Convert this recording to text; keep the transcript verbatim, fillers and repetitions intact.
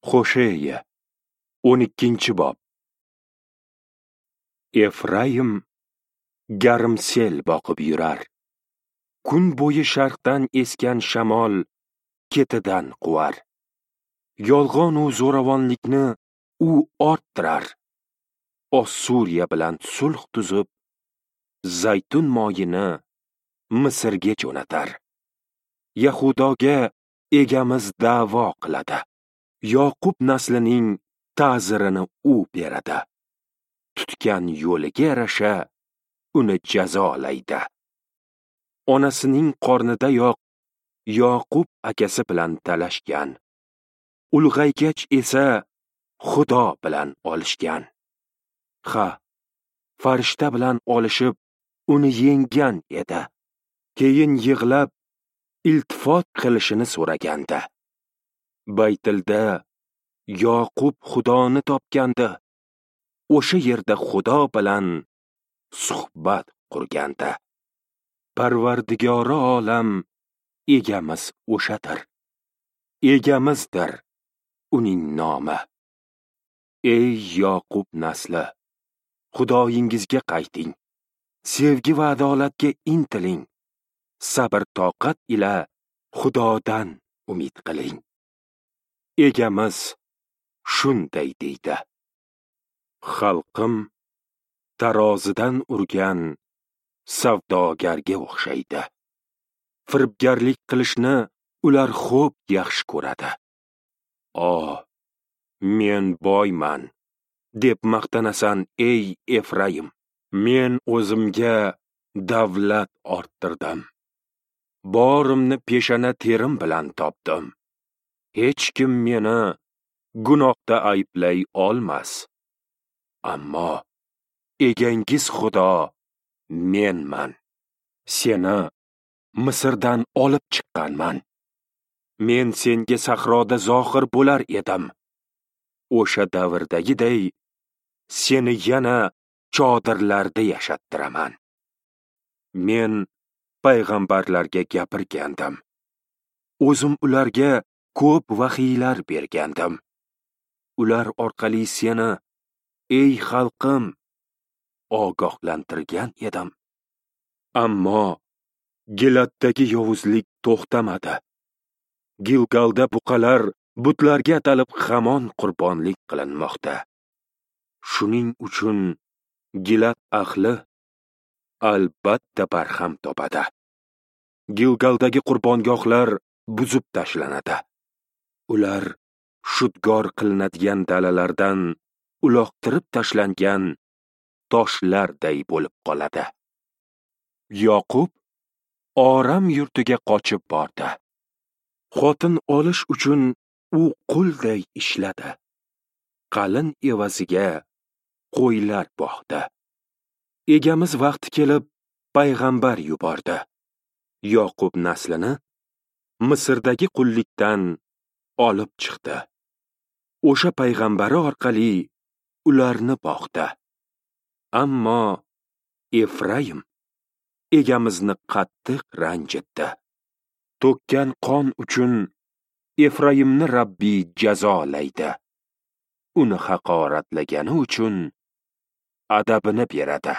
Hosheya o'n ikkinchi bob. Efraim garmsel boqib yurar. Kun bo'yi sharqdan esgan shamol ketidan quvar. Yolg'on u zo'ravonlikni u orttirar. Ossuriya bilan sulh tuzib, zaytun moyini Misrga jo'natar. Yahudoga egamiz da'vo qiladi. Yoqub naslining ta'zirini u beradi. Tutgan yo'liga yarasha uni jazolaydi. Onasining qornidayoq Yoqub akasi bilan talashgan. Ulg'aygach esa Xudo bilan olishgan. Ha, farishta bilan olishib uni yenggan edi. Keyin yig'lab iltifot qilishini so'ragandi. Baytilda Yoqub Xudoni topgandi. O'sha yerda Xudo bilan suhbat qurgandi. Parvardigori olam egamiz o'shadir. Egamizdir uning nomi. Ey Yoqub nasli, Xudoyingizga qayting. Sevgi va adolatga intiling. Sabr toqat ila Xudodan umid qiling. Egamiz shunday deydi: Xalqim tarozidan urgan savdogarga o'xshaydi. Firibgarlik qilishni ular xo'p yaxshi ko'radi. "O, men boyman" deb maqtanasan, ey Efraim. Men o'zimga davlat orttirdim. Borimni peshana terim bilan topdim. Hech kim meni gunohda ayblay olmas. Ammo egangiz Xudo menman. Seni Misrdan olib chiqqanman. Men senga sahroda zohir bo'lar edim. O'sha davrdagiday seni yana chodirlarda yashattiraman. Men payg'ambarlarga gapirgandim. O'zim ularga ko'p vahiylar bergandim. Ular orqali seni, ey xalqim, ogohlantirgan edim. Ammo Gilatdagi yovuzlik to'xtamadi. Gilgalda buqalar butlarga atalib hamon qurbonlik qilinmoqda. Shuning uchun Gilat ahli albatta barham topadi. Gilgaldagi qurbongohlar buzib tashlanadi. Ular shudgor qilinadigan dalalardan uloqtirib tashlangan toshlarday bo'lib qoladi. Yoqub Oram yurtiga qochib bordi. Xotin olish uchun u qulday ishladi. Qalin evaziga qo'ylar boqdi. Egamiz vaqti kelib payg'ambar yubordi. Yoqub naslini Misrdagi qullikdan olib chiqdi. O'sha payg'ambari orqali ularni boqdi. Ammo Efraim egamizni qattiq ranjitdi. To'kkan qon uchun Efraimni Rabbiy jazolaydi. Uni haqoratlagani uchun adabini beradi.